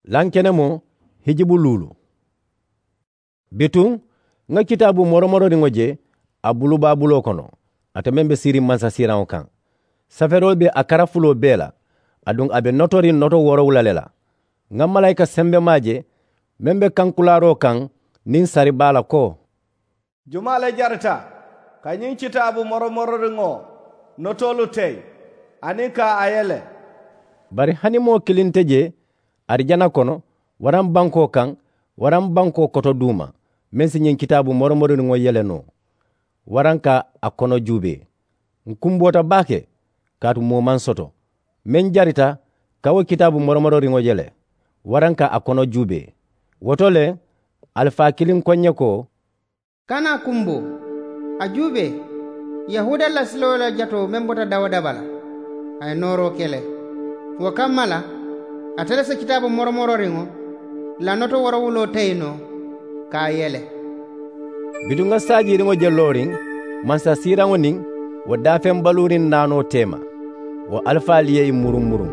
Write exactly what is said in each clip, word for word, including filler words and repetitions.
Lankenemoo hijibu luulu. Bituŋ ŋa kitaabu moromororiŋo je a bulubaa buloo kono, ate meŋ be siiriŋ mansasiiraŋo kaŋ. Safeeroolu be a karafuloo bee la, aduŋ a be notoriŋ noto woorowula le la. Ŋa malaayika sembemaa je meŋ be kankulaaroo kaŋ niŋ sari baa la ko, jumaa le jarita ka ñiŋ kitaabu moromororiŋo notoolu teyi aniŋ ka a yele? Bari hani moo kiliŋ te jee arijana kono, waraŋ bankoo kaŋ, waraŋ bankoo koto duuma, meŋ si ñiŋ kitaabu moromororiŋo yele noo, waraŋ ka a kono juubee. Ǹ kumboota baake, kaatu moo maŋ soto meŋ jarita ka wo kitaabu moromororiŋo yele, waraŋ ka a kono juubee. Wo to le, alifaa kiliŋ ko ǹ ye ko, kana a kumboo, a juubee, yahuuda lasiloolu la jatoo meŋ bota dawuda bala, a ye nooroo ke le. Wo kamma la, ate le si kitaabu moromororiŋo la noto woorowuloo teyi noo ka a yele. Bituŋ ŋa saajiiriŋo je looriŋ mansasiiraŋo niŋ wo daafeŋ baluuriŋ naanoo teema, wo alifaalu ye ì muruŋ muruŋ.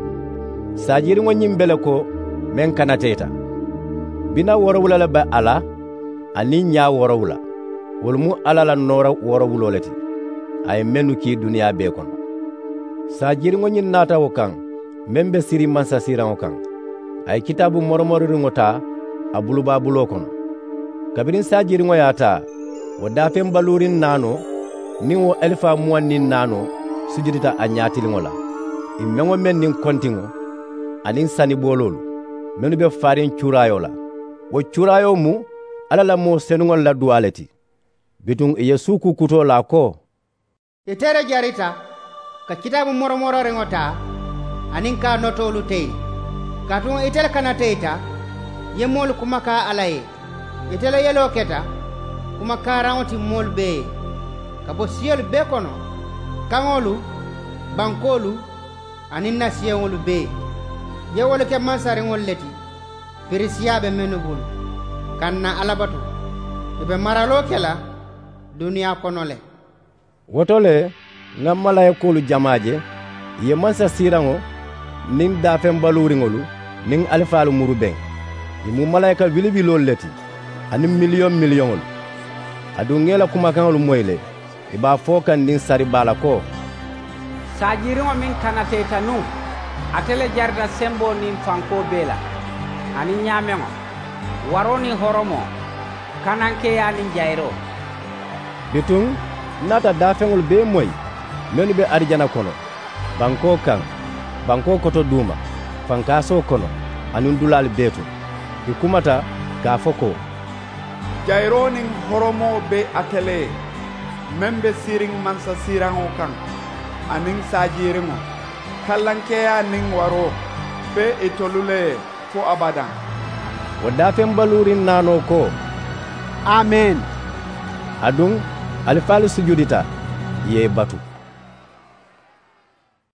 Saajiiriŋo ñiŋ be le ko meŋ kanateeta. Bina woorowula le be a la, aniŋ ñaa woorowula, wolu mu alla la noora woorowuloo le ti, a ye mennu kii duniyaa bee kono. Saajiiriŋo ñiŋ naata wo kaŋ meŋ be siriŋ mansasiiraŋo kaŋ, a ye kitaabu moromororiŋo taa a bulubaa buloo kono. Kabiriŋ saajiiriŋo ye a taa, wo daafeŋ baluuriŋ naanoo niŋ wo alifaa muwaŋ niŋ naanoo sujudita a ñaatiliŋo la, ì meŋ-wo-meŋ niŋ kontiŋo aniŋ sanibooloolu mennu be faariŋ cuuraayoo la. Wo cuuraayoo mu alla la moo senuŋolu la duwaa le ti. Bituŋ ì ye suukuu kutoo laa ko, ite le jarita ka kitaabu moromororiŋo taa aniŋ ka a notoolu teyi. Kaatu ite le kanateyita yemoolu kumakaa alla ye. Ite le yeloo keta kumakaaraŋo ti moolu bee ye, ka bo siyolu bee kono, kaŋolu, bankoolu, aniŋ nasiyoŋolu bee. Ye wolu ke mansariŋolu le ti, perisiya be mennu bulu, ka ǹ na alla batu. Ì be maraloo ke la duniyaa kono le. Wo to le, ŋa malaayikoolu jamaa je, ì ye mansasiiraŋo niŋ daafeŋ baluuriŋolu niŋ alifaalu murubeŋ. Ì mu malaayika wiliwiloolu le ti, aniŋ miliyoŋ miliyoŋolu. Aduŋ ŋa ì la kumakaŋolu moyi le, ì be a fo kaŋ niŋ sari baa la ko, saajiiriŋo meŋ kanateyita nuŋ, ate le jarita semboo niŋ fankoo bee la, aniŋ ñaameŋo, waroo niŋ horomoo, kanankeeyaa niŋ jayiroo. Bituŋ ǹ naata daafeŋolu bee moyi mennu be arijana kono, bankoo kaŋ, bankoo koto duuma, fankaasoo kono, aniŋ dulaalu bee to. Ì kumata ka a fo ko, jayiroo niŋ horomoo be ate le ye, meŋ be siiriŋ mansasiiraŋo kaŋ, aniŋ saajiiriŋo, kallankeeyaa niŋ waroo be itolu le ye fo abadaŋ. Wo daafeŋ baluuriŋ naanoo ko, amen. Aduŋ alifaalu sujudita, ì ye ì batu.